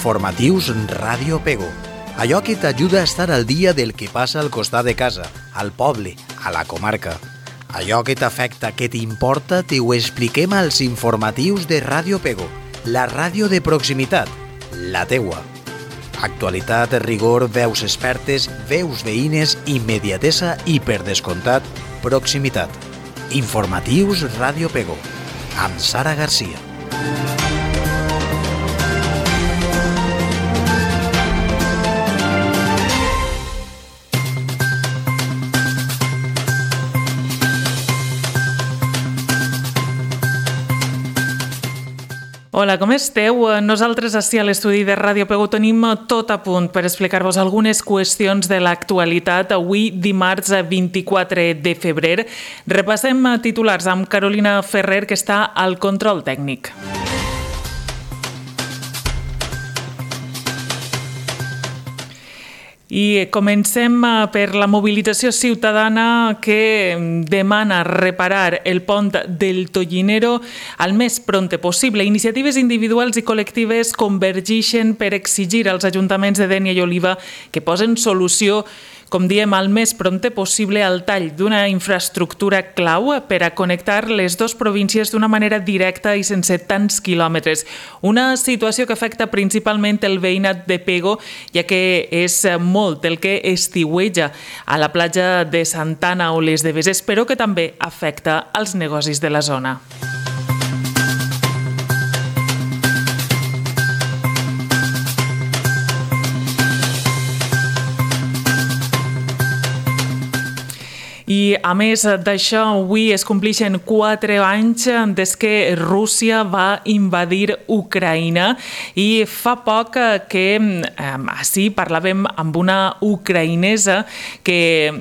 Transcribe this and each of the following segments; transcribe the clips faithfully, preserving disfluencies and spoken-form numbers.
Informatius Ràdio Pego. Allò que t'ajuda a estar al dia del que passa al costat de casa, al poble, a la comarca. Allò que t'afecta, que t'importa, te ho expliquem als informatius de Ràdio Pego, la ràdio de proximitat, la teua. Actualitat, rigor, veus expertes, veus veïnes, immediatesa i, per descomptat, proximitat. Informatius Ràdio Pego, amb Sara Garcia. Hola, com esteu? Nosaltres ací a l'estudi de Ràdio Pego tenim tot a punt per explicar-vos algunes qüestions de l'actualitat. Avui, dimarts vint-i-quatre de febrer, repassem titulars amb Carolina Ferrer, que està al control tècnic. I comencem per la mobilització ciutadana que demana reparar el pont del Tollinero al més prompte possible. Iniciatives individuals i col·lectives convergeixen per exigir als ajuntaments de Dénia i Oliva que posen solució, com diem, al més prompte possible al tall d'una infraestructura clau per a connectar les dues províncies d'una manera directa i sense tants quilòmetres. Una situació que afecta principalment el veïnat de Pego, ja que és molt el que estiueja a la platja de Santana o les Deveses, però que també afecta els negocis de la zona. I, a més d'això, avui es compleixen quatre anys des que Rússia va invadir Ucraïna i fa poc que eh, així parlàvem amb una ucraïnesa que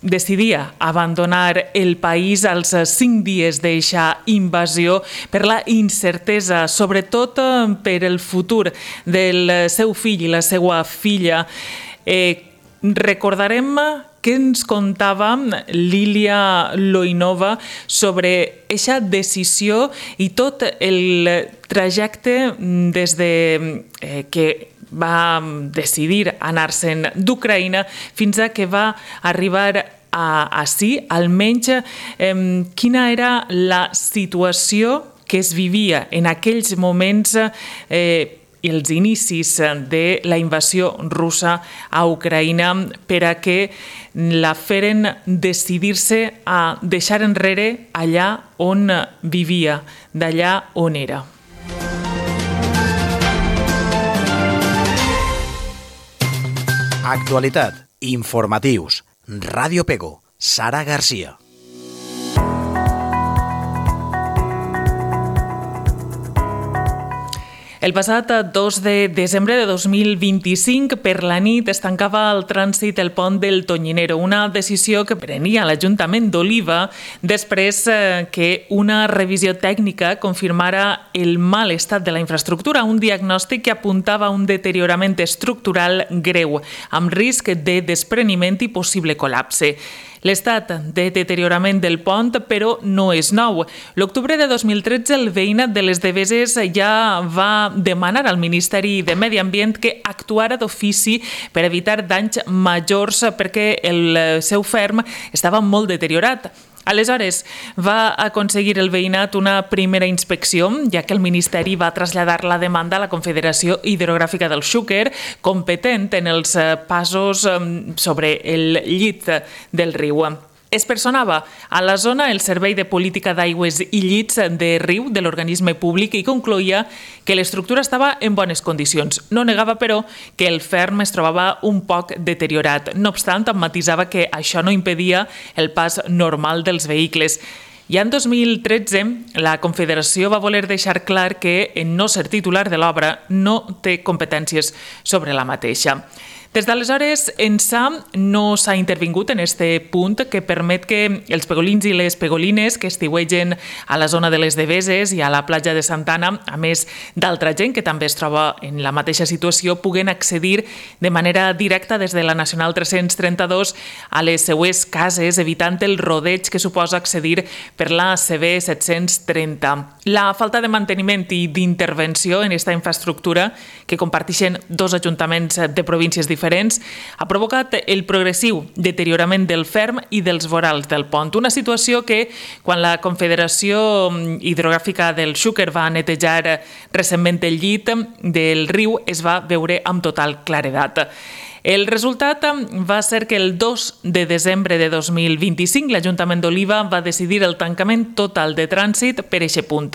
decidia abandonar el país als cinc dies d'eixa invasió per la incertesa, sobretot per el futur del seu fill i la seva filla. Eh, recordarem què ens contava Lília Loinova sobre aquesta decisió i tot el trajecte des de que va decidir anar-se'n d'Ucraïna fins a que va arribar a ací, almenys eh, quina era la situació que es vivia en aquells moments eh, i els inicis de la invasió russa a Ucraïna per a que la feren decidir-se a deixar enrere allà on vivia, d'allà on era. Actualitat, informatius, Ràdio Pego, Sara Garcia. El passat dos de desembre de dos mil vint-i-cinc, per la nit, es tancava el trànsit el pont del Tollinero, una decisió que prenia l'Ajuntament d'Oliva després que una revisió tècnica confirmara el mal estat de la infraestructura, un diagnòstic que apuntava a un deteriorament estructural greu, amb risc de despreniment i possible col·lapse. L'estat de deteriorament del pont, però, no és nou. L'octubre de dos mil tretze, el veïnat de les Deveses ja va demanar al Ministeri de Medi Ambient que actuara d'ofici per evitar danys majors perquè el seu ferm estava molt deteriorat. Aleshores, va aconseguir el veïnat una primera inspecció, ja que el Ministeri va traslladar la demanda a la Confederació Hidrogràfica del Xúquer, competent en els passos sobre el llit del riu. Es personava a la zona el Servei de Política d'Aigües i Llits de Riu de l'organisme públic i concloïa que l'estructura estava en bones condicions. No negava, però, que el ferm es trobava un poc deteriorat. No obstant, matisava que això no impedia el pas normal dels vehicles. Ja en dos mil tretze, la Confederació va voler deixar clar que, en no ser titular de l'obra, no té competències sobre la mateixa. Des d'aleshores, ençà no s'ha intervingut en este punt que permet que els pegolins i les pegolines que estiuegen a la zona de les Deveses i a la platja de Santana, a més d'altra gent que també es troba en la mateixa situació, puguen accedir de manera directa des de la Nacional tres-cents trenta-dos a les seues cases, evitant el rodeig que suposa accedir per la C B set-cents trenta. La falta de manteniment i d'intervenció en aquesta infraestructura, que comparteixen dos ajuntaments de províncies diferents, ha provocat el progressiu deteriorament del ferm i dels vorals del pont. Una situació que, quan la Confederació Hidrogràfica del Xúquer va netejar recentment el llit del riu, es va veure amb total claredat. El resultat va ser que el dos de desembre de dos mil vint-i-cinc l'Ajuntament d'Oliva va decidir el tancament total de trànsit per eixe punt.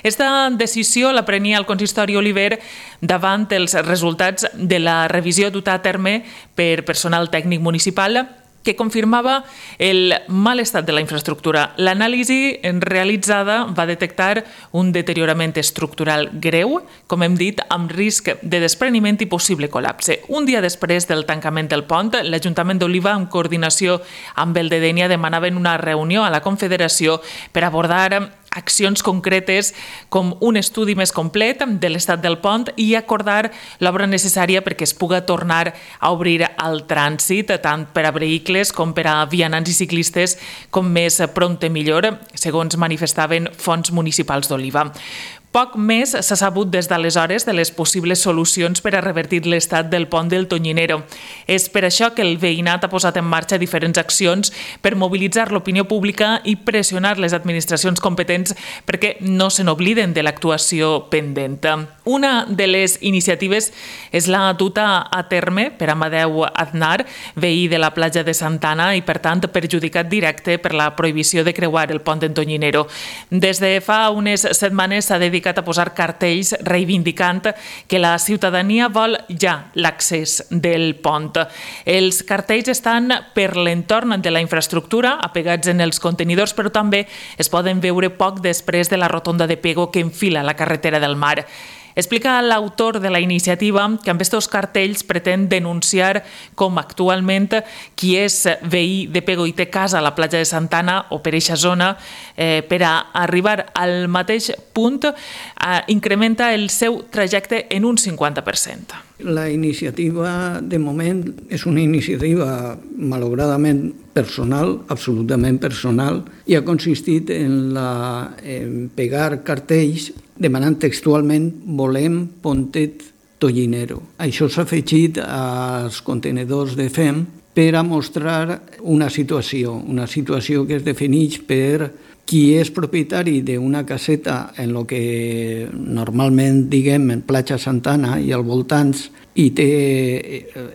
Esta decisió la prenia el consistori oliver davant els resultats de la revisió duta a terme per personal tècnic municipal que confirmava el mal estat de la infraestructura. L'anàlisi realitzada va detectar un deteriorament estructural greu, com hem dit, amb risc de despreniment i possible col·lapse. Un dia després del tancament del pont, l'Ajuntament d'Oliva, en coordinació amb el de Dénia, demanaven una reunió a la Confederació per abordar accions concretes com un estudi més complet de l'estat del pont i acordar l'obra necessària perquè es puga tornar a obrir al trànsit, tant per a vehicles com per a vianants i ciclistes, com més prompte millor, segons manifestaven fonts municipals d'Oliva. Poc més s'ha sabut des d'aleshores de les possibles solucions per a revertir l'estat del pont del Tonyinero. És per això que el veïnat ha posat en marxa diferents accions per mobilitzar l'opinió pública i pressionar les administracions competents perquè no se n'obliden de l'actuació pendent. Una de les iniciatives és la duta a terme per Amadeu Aznar, veí de la platja de Santana i, per tant, perjudicat directe per la prohibició de creuar el pont del Tonyinero. Des de fa unes setmanes s'ha dedicat a posar cartells reivindicant que la ciutadania vol ja l'accés del pont. Els cartells estan per l'entorn de la infraestructura, apegats en els contenidors, però també es poden veure poc després de la rotonda de Pego que enfila la carretera del Mar. Explica l'autor de la iniciativa que amb aquests cartells pretén denunciar com actualment qui és veí de Pego i té casa a la platja de Santana o per eixa zona, eh, per a arribar al mateix punt, eh, incrementa el seu trajecte en un cinquanta per cent. La iniciativa, de moment, és una iniciativa malauradament personal, absolutament personal, i ha consistit en, la, en pegar cartells demanant textualment volem pontet Tonyinero. Això s'ha afegit als contenedors de F E M per a mostrar una situació, una situació que es defineix per qui és propietari d'una caseta en el que normalment diguem en platja Santana i als voltants i, té,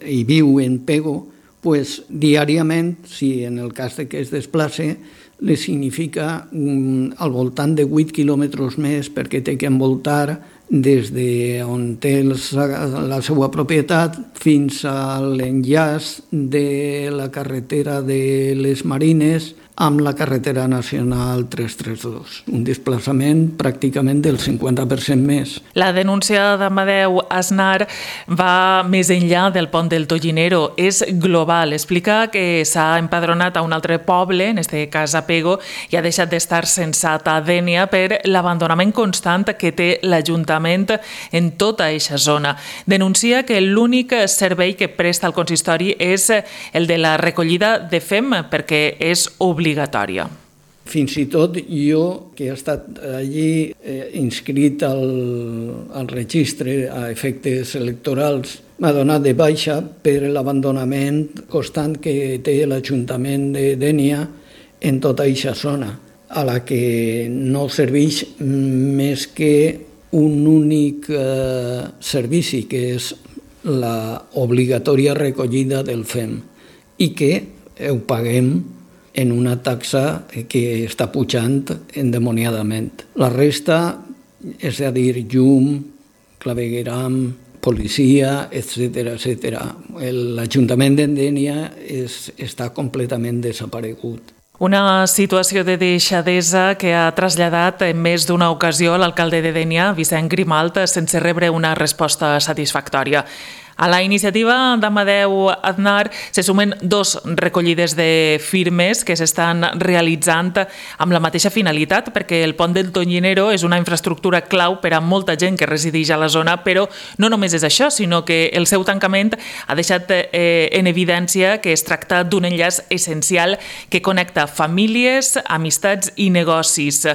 i viu en Pego, pues, diàriament, si en el cas de que es desplace, li significa um, al voltant de vuit quilòmetres més perquè té que envoltar des d'on té la seva propietat fins a l'enllaç de la carretera de les Marines amb la carretera nacional tres cents trenta dos, un desplaçament pràcticament del cinquanta per cent més. La denúncia d'Amadeu Aznar va més enllà del pont del Tonyinero, és global. Explica que s'ha empadronat a un altre poble, en aquest cas a Pego, i ha deixat d'estar censat a Dénia per l'abandonament constant que té l'Ajuntament en tota aquesta zona. Denuncia que l'únic servei que presta el consistori és el de la recollida de F E M, perquè és obligatòria. Fins i tot jo, que he estat allí eh, inscrit al, al registre a efectes electorals, m'ha donat de baixa per l'abandonament constant que té l'Ajuntament de Dénia en tota aquesta zona, a la que no serveix més que un únic eh, servici, que és la obligatòria recollida del F E M, i que ho paguem en una taxa que està pujant endemoniadament. La resta, és a dir, llum, clavegueram, policia, etcètera, etcètera. L'Ajuntament d'Endènia està completament desaparegut. Una situació de deixadesa que ha traslladat en més d'una ocasió l'alcalde de Dénia, Vicent Grimalt, sense rebre una resposta satisfactòria. A la iniciativa d'Amadeu Aznar se sumen dos recollides de firmes que s'estan realitzant amb la mateixa finalitat, perquè el pont del Tonyinero és una infraestructura clau per a molta gent que resideix a la zona, però no només és això, sinó que el seu tancament ha deixat eh, en evidència que es tracta d'un enllaç essencial que connecta famílies, amistats i negocis,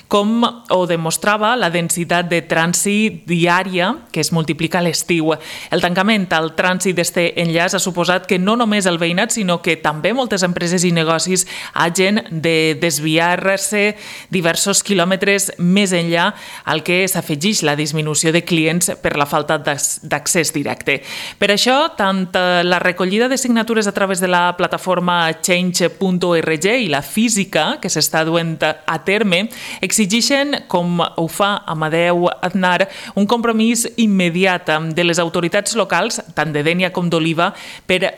com ho demostrava la densitat de trànsit diària que es multiplica a l'estiu. El tancament al trànsit d'este enllaç ha suposat que no només el veïnat, sinó que també moltes empreses i negocis hagin de desviar-se diversos quilòmetres més enllà, al que s'afegeix la disminució de clients per la falta d'accés directe. Per això, tant la recollida de signatures a través de la plataforma change punt org i la física que s'està duent a terme exigeixen, com ho fa Amadeu Aznar, un compromís immediat de les autoritats locals, tant de Dénia com d'Oliva, per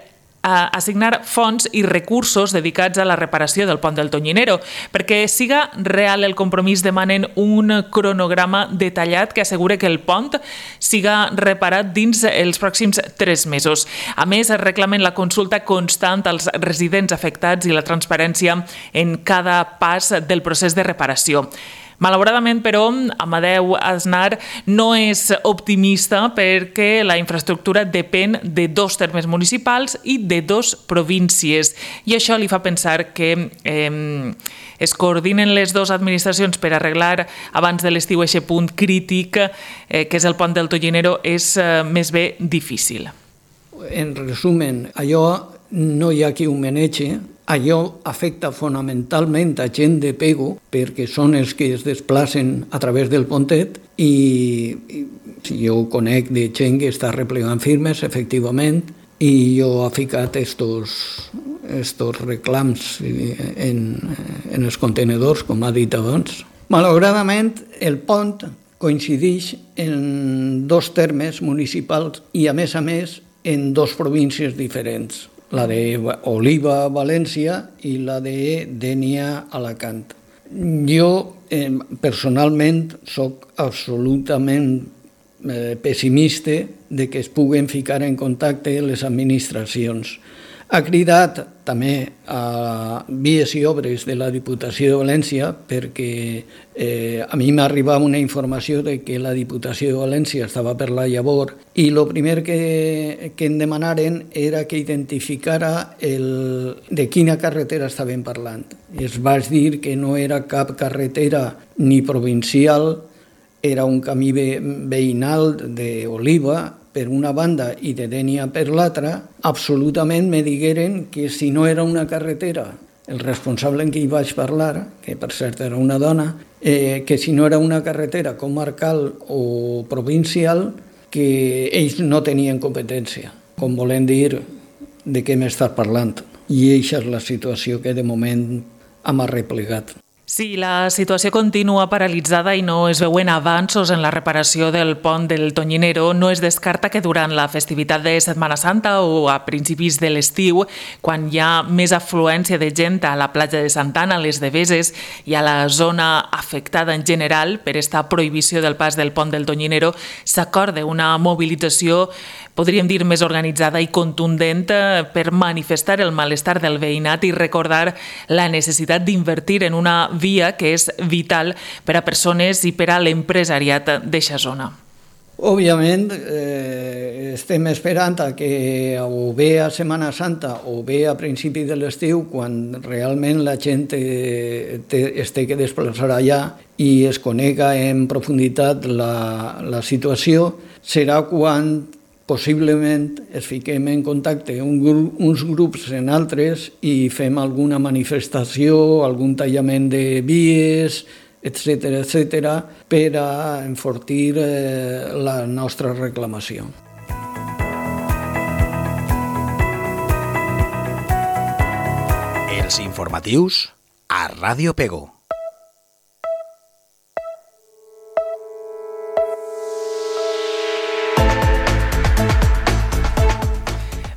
assignar fons i recursos dedicats a la reparació del pont del Tonyinero. Perquè siga real el compromís, demanen un cronograma detallat que assegure que el pont siga reparat dins els pròxims tres mesos. A més, reclamen la consulta constant als residents afectats i la transparència en cada pas del procés de reparació. Malauradament, però, Amadeu Aznar no és optimista perquè la infraestructura depèn de dos termes municipals i de dos províncies. I això li fa pensar que eh, es coordinen les dues administracions per arreglar abans de l'estiu aquest punt crític, eh, que és el pont del Tonyinero, és eh, més bé difícil. En resumen, allò no hi ha qui ho manegi. Allò afecta fonamentalment a gent de Pego, perquè són els que es desplacen a través del pontet, i, i jo conec de gent que està replegant firmes, efectivament, i jo he ficat estos, estos reclams en, en els contenedors, com ha dit abans. Malauradament, el pont coincideix en dos termes municipals i, a més a més, en dos províncies diferents, la de Oliva, València, i la de Dénia, Alacant. Jo, eh, personalment, soc absolutament eh, pessimista de que es puguen ficar en contacte les administracions. Ha cridat també a Vies i Obres de la Diputació de València, perquè eh, a mi m'ha arribat una informació de que la Diputació de València estava per la llavor, i el primer que, que em demanaren era que identificara el, de quina carretera estaven parlant. I es vaig dir que no era cap carretera ni provincial, era un camí veïnal d'Oliva, per una banda, i de Dénia per l'altra. Absolutament me digueren que si no era una carretera, el responsable en qui hi vaig parlar, que per cert era una dona, eh, que si no era una carretera comarcal o provincial, que ells no tenien competència, com volen dir de què m'estàs parlant. I aquesta és la situació que de moment hem arreplegat. Sí, la situació continua paralitzada i no es veuen avanços en la reparació del pont del Tonyinero. No es descarta que durant la festivitat de Setmana Santa o a principis de l'estiu, quan hi ha més afluència de gent a la platja de Santa Anna, a les Deveses i a la zona afectada en general per esta prohibició del pas del pont del Tonyinero, s'acorda una mobilització, podríem dir, més organitzada i contundent per manifestar el malestar del veïnat i recordar la necessitat d'invertir en una via que és vital per a persones i per a l'empresariat d'eixa zona. Òbviament, eh, estem esperant a que o bé a Setmana Santa o bé a principi de l'estiu, quan realment la gent eh, té, es té que desplaçar allà i es conega en profunditat la, la situació, serà quan possiblement es fiquem en contacte un gru- uns grups en altres i fem alguna manifestació, algun tallament de vies, etcètera, etcètera, per a enfortir eh, la nostra reclamació. Els informatius a Ràdio Pego.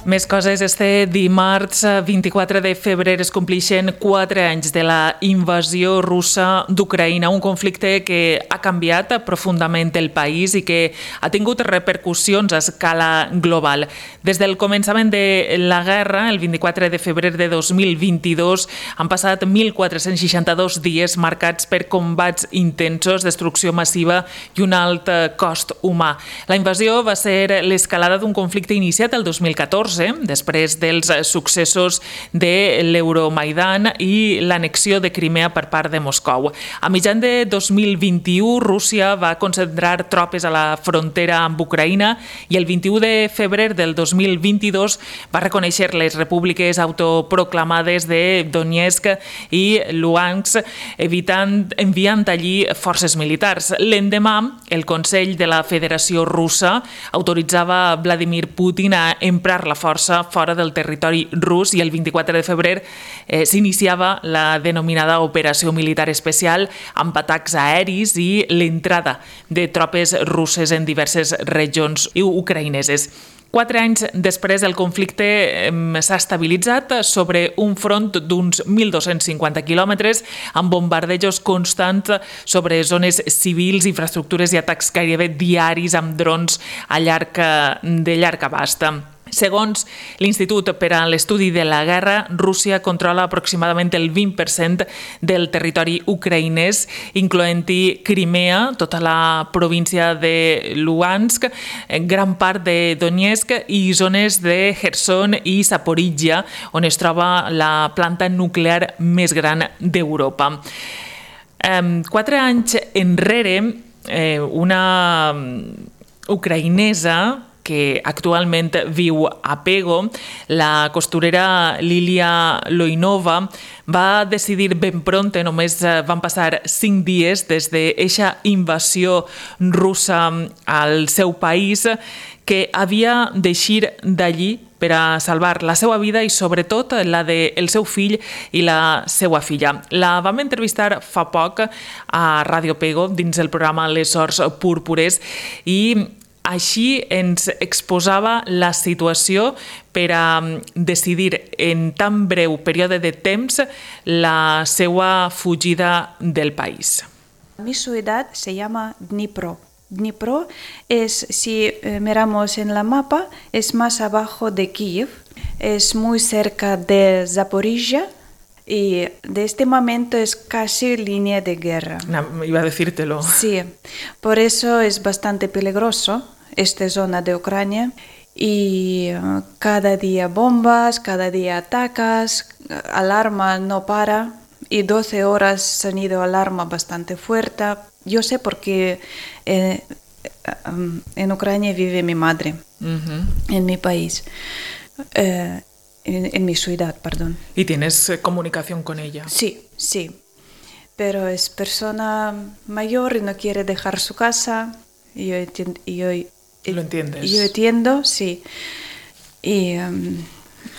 Més coses. Este dimarts vint-i-quatre de febrer es complixen quatre anys de la invasió russa d'Ucraïna, un conflicte que ha canviat profundament el país i que ha tingut repercussions a escala global. Des del començament de la guerra, el vint-i-quatre de febrer de dos mil vint-i-dos, han passat mil quatre-cents seixanta-dos dies marcats per combats intensos, destrucció massiva i un alt cost humà. La invasió va ser l'escalada d'un conflicte iniciat el dos mil catorze, després dels successos de l'Euromaidan i l'anexió de Crimea per part de Moscou. A mitjan de dos mil vint-i-u, Rússia va concentrar tropes a la frontera amb Ucraïna i el vint-i-u de febrer del dos mil vint-i-dos va reconèixer les repúbliques autoproclamades de Donetsk i Luhansk, evitant, enviant allí forces militars. L'endemà, el Consell de la Federació Russa autoritzava Vladimir Putin a emprar la força fora del territori rus i el vint-i-quatre de febrer eh, s'iniciava la denominada Operació Militar Especial amb atacs aeris i l'entrada de tropes russes en diverses regions ucraïneses. Quatre anys després, el conflicte s'ha estabilitzat sobre un front d'uns mil dos-cents cinquanta quilòmetres amb bombardejos constants sobre zones civils, infraestructures i atacs gairebé diaris amb drons a llarg, de llarg abast. Segons l'Institut per a l'Estudi de la Guerra, Rússia controla aproximadament el vint per cent del territori ucraïnès, incloent-hi Crimea, tota la província de Luhansk, gran part de Donetsk i zones de Kherson i Zaporizhia, on es troba la planta nuclear més gran d'Europa. Quatre anys enrere, una ucraïnesa que actualment viu a Pego, la costurera Lilia Loinova, va decidir ben pronte, només van passar cinc dies des d'eixa invasió russa al seu país, que havia d'eixir d'allí per a salvar la seva vida i sobretot la del seu fill i la seva filla. La vam entrevistar fa poc a Ràdio Pego dins el programa Les Sors Púrpures i així ens exposava la situació per a decidir en tan breu període de temps la seva fugida del país. Mi ciudad se llama Dnipro. Dnipro es, si miramos en la mapa, es más abajo de Kiev, es muy cerca de Zaporizhia y de este momento es casi línea de guerra. No, iba a decírtelo. Sí, por eso es bastante peligroso esta zona de Ucrania y uh, cada día bombas, cada día atacas, alarma no para y doce horas sonido alarma bastante fuerte. Yo sé porque eh, um, en Ucrania vive mi madre, uh-huh. en mi país, eh, en, en mi ciudad, perdón. ¿Y tienes eh, comunicación con ella? Sí, sí, pero es persona mayor y no quiere dejar su casa. Y yo entiendo, y yo, ¿Lo entiendes? Yo entiendo, sí. Y um,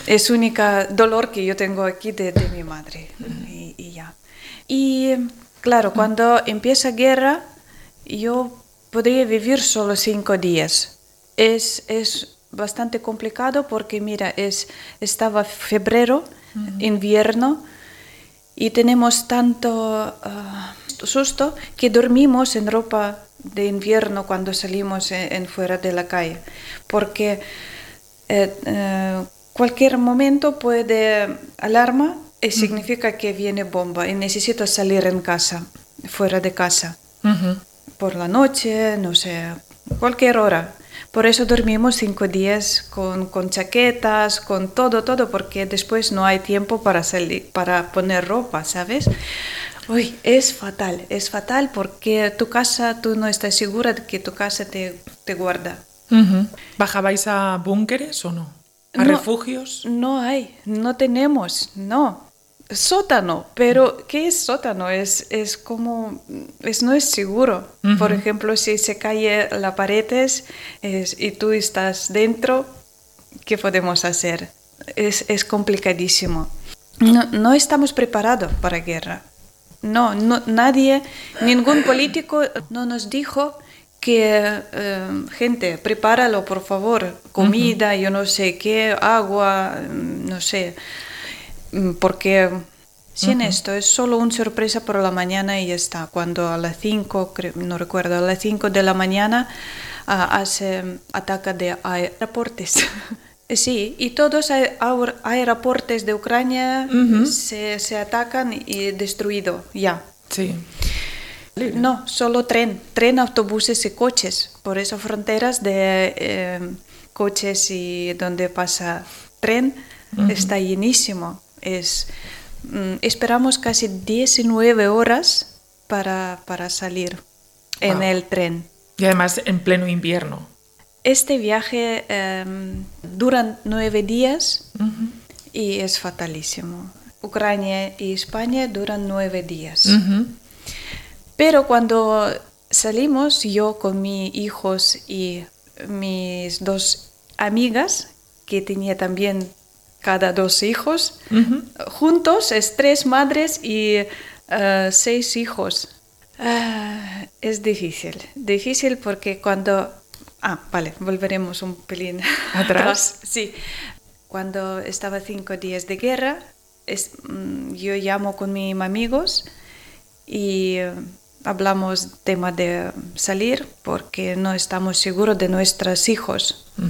es único dolor que yo tengo aquí de, de mi madre. Uh-huh. y, y ya. Y claro, uh-huh. cuando empieza guerra, yo podría vivir solo cinco días. Es, es bastante complicado porque, mira, es, estaba febrero, uh-huh. invierno, y tenemos tanto uh, susto que dormimos en ropa de invierno cuando salimos en, en fuera de la calle, porque eh, eh, cualquier momento puede alarma y significa que viene bomba y necesito salir en casa, fuera de casa, uh-huh. por la noche, no sé, cualquier hora. Por eso dormimos cinco días con, con chaquetas, con todo, todo, porque después no hay tiempo para salir, para poner ropa, ¿sabes? Uy, es fatal, es fatal porque tu casa, tú no estás segura de que tu casa te, te guarda. Uh-huh. ¿Bajabais a búnkeres o no? ¿A no, refugios? No hay, no tenemos, no. Sótano, pero ¿qué es sótano? Es, es como, es, no es seguro. Uh-huh. Por ejemplo, si se cae la pared es, y tú estás dentro, ¿qué podemos hacer? Es, es complicadísimo. No, no estamos preparados para guerra. No, no, nadie, ningún político no nos dijo que eh, gente, prepáralo por favor, comida, uh-huh. yo no sé qué, agua, no sé, porque sin uh-huh. esto es solo una sorpresa por la mañana y ya está. Cuando a las cinco, no recuerdo, a las cinco de la mañana uh, hace ataque de aeropuertos. Sí, y todos los aeropuertos de Ucrania uh-huh. se, se atacan y destruido ya. Sí. No, solo tren, tren, autobuses y coches. Por eso fronteras de eh, coches y donde pasa tren uh-huh. está llenísimo. Es, mm, esperamos casi diecinueve horas para, para salir en wow. el tren. Y además en pleno invierno. Este viaje eh, dura nueve días uh-huh. y es fatalísimo. Ucrania y España duran nueve días. Uh-huh. Pero cuando salimos, yo con mis hijos y mis dos amigas, que tenía también cada dos hijos, uh-huh. juntos es tres madres y uh, seis hijos. Uh, es difícil, difícil porque cuando... Ah, vale, volveremos un pelín atrás. Sí, cuando estaba cinco días de guerra, es, um, yo llamo con mis amigos y... Uh, hablamos tema de salir porque no estamos seguros de nuestros hijos. Uh-huh.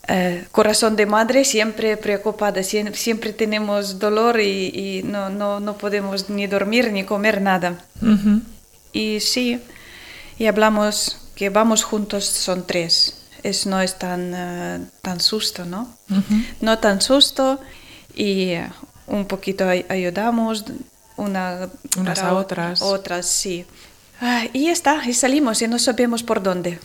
Eh, corazón de madre siempre preocupada, siempre, siempre tenemos dolor y, y no, no, no podemos ni dormir ni comer nada. Uh-huh. Y sí, y hablamos que vamos juntos, son tres. Es, no es tan, uh, tan susto, ¿no? Uh-huh. No tan susto y uh, un poquito ay- ayudamos. Una unas a otras. Otras, sí. Ah, y ya está, y salimos y no sabemos por dónde.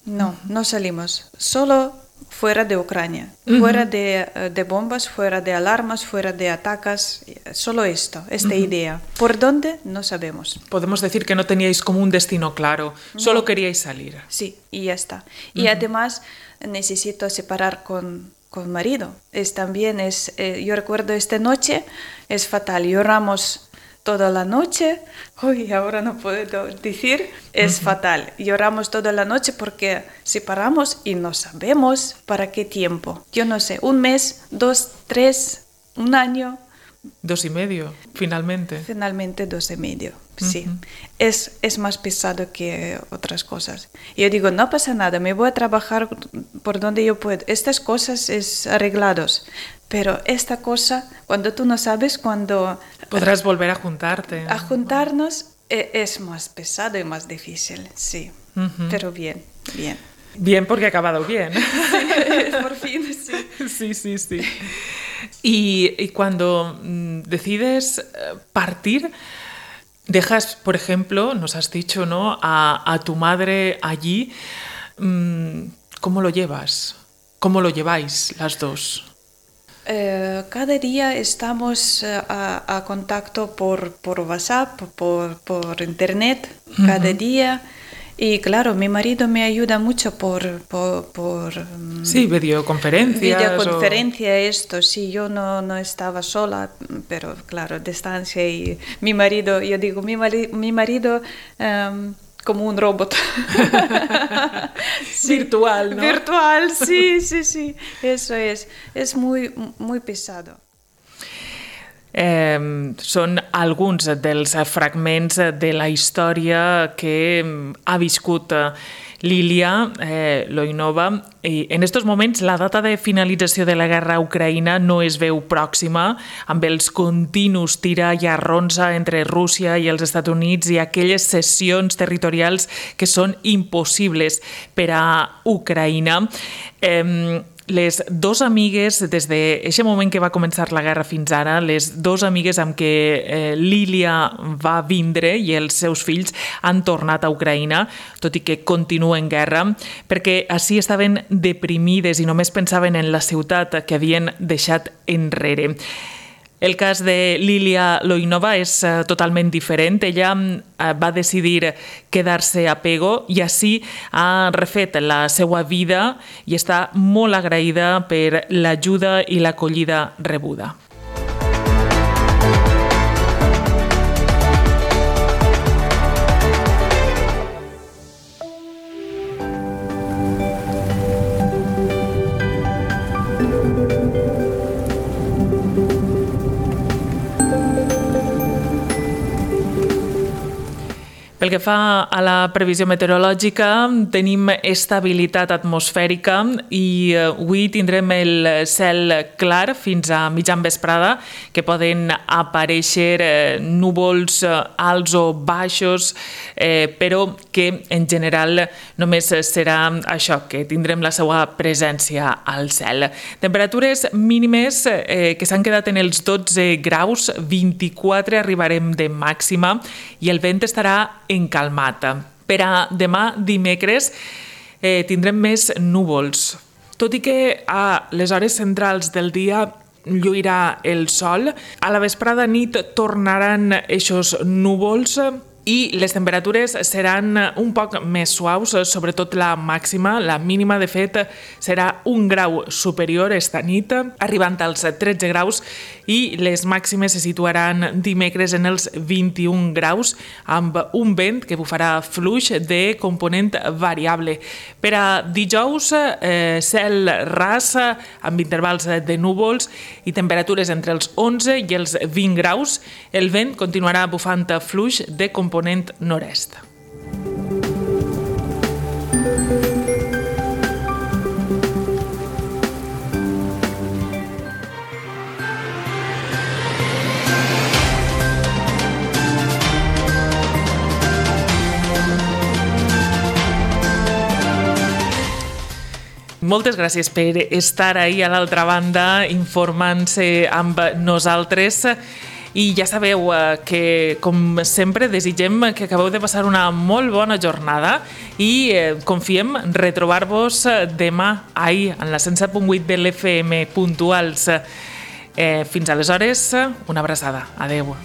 No, uh-huh. no salimos. Solo fuera de Ucrania. Uh-huh. Fuera de, de bombas, fuera de alarmas, fuera de ataques. Solo esto, esta uh-huh. idea. ¿Por dónde? No sabemos. Podemos decir que no teníais como un destino claro. No. Solo queríais salir. Sí, y ya está. Uh-huh. Y además necesito separar con... con marido. Es también es eh, yo recuerdo esta noche es fatal. Lloramos toda la noche. Uy, ahora no puedo decir. Es uh-huh. fatal. Lloramos toda la noche porque separamos y no sabemos para qué tiempo. Yo no sé, un mes, dos, tres, un año. Dos y medio, finalmente. Finalmente dos y medio, sí. Uh-huh. Es, es más pesado que otras cosas. Yo digo, no pasa nada, me voy a trabajar por donde yo puedo. Estas cosas es arreglados, pero esta cosa, cuando tú no sabes, cuando... Podrás volver a juntarte. A juntarnos es más pesado y más difícil, sí. Uh-huh. Pero bien, bien. Bien porque ha acabado bien. Sí, por fin, sí. Sí, sí, sí. Y, y cuando mm, decides partir, dejas, por ejemplo, nos has dicho, ¿no?, a, a tu madre allí. Mm, ¿Cómo lo llevas? ¿Cómo lo lleváis las dos? Eh, cada día estamos eh, a, a contacto por, por WhatsApp, por, por internet, uh-huh. cada día. Y claro, mi marido me ayuda mucho por... por, por sí, videoconferencias. Videoconferencia, o... esto, sí, yo no, no estaba sola, pero claro, distancia y mi marido, yo digo, mi, mari, mi marido um, como un robot. Sí, virtual, ¿no? Virtual, sí, sí, sí, eso es, es muy, muy pesado. Eh, són alguns dels fragments de la història que ha viscut Lilia eh, Loinova. I en estos moments la data de finalització de la guerra a Ucraïna no es veu pròxima, amb els continus tira i arronsa entre Rússia i els Estats Units i aquelles cessions territorials que són impossibles per a Ucraïna. Eh, Les dos amigues, des d'aquest moment que va començar la guerra fins ara, les dos amigues amb què eh, Lilia va vindre i els seus fills han tornat a Ucraïna, tot i que continuen en guerra, perquè així estaven deprimides i només pensaven en la ciutat que havien deixat enrere. El cas de Lilia Loinova és uh, totalment diferent. Ella uh, va decidir quedar-se a Pego i així ha refet la seva vida i està molt agraïda per l'ajuda i l'acollida rebuda. Pel que fa a la previsió meteorològica, tenim estabilitat atmosfèrica i avui tindrem el cel clar fins a mitjan vesprada, que poden aparèixer núvols alts o baixos, eh, però que en general només serà això, que tindrem la seva presència al cel. Temperatures mínimes eh, que s'han quedat en els dotze graus, vint-i-quatre arribarem de màxima i el vent estarà encalmat. Per a demà dimecres eh, tindrem més núvols. Tot i que a les hores centrals del dia lluirà el sol, a la vesprada nit tornaran eixos núvols i les temperatures seran un poc més suaus, sobretot la màxima. La mínima, de fet, serà un grau superior esta nit, arribant als tretze graus, i les màximes se situaran dimecres en els vint-i-un graus, amb un vent que bufarà fluix de component variable. Per a dijous, eh, cel ras, amb intervals de núvols i temperatures entre els onze i els vint graus. El vent continuarà bufant fluix de component component nord-est. Moltes gràcies per estar ahí a l'altra banda informant-se amb nosaltres. I ja sabeu que, com sempre, desitgem que acabeu de passar una molt bona jornada i confiem retrobar-vos demà ahir en la cent set punt vuit de l'F M puntuals. Eh, fins aleshores, una abraçada. Adeu.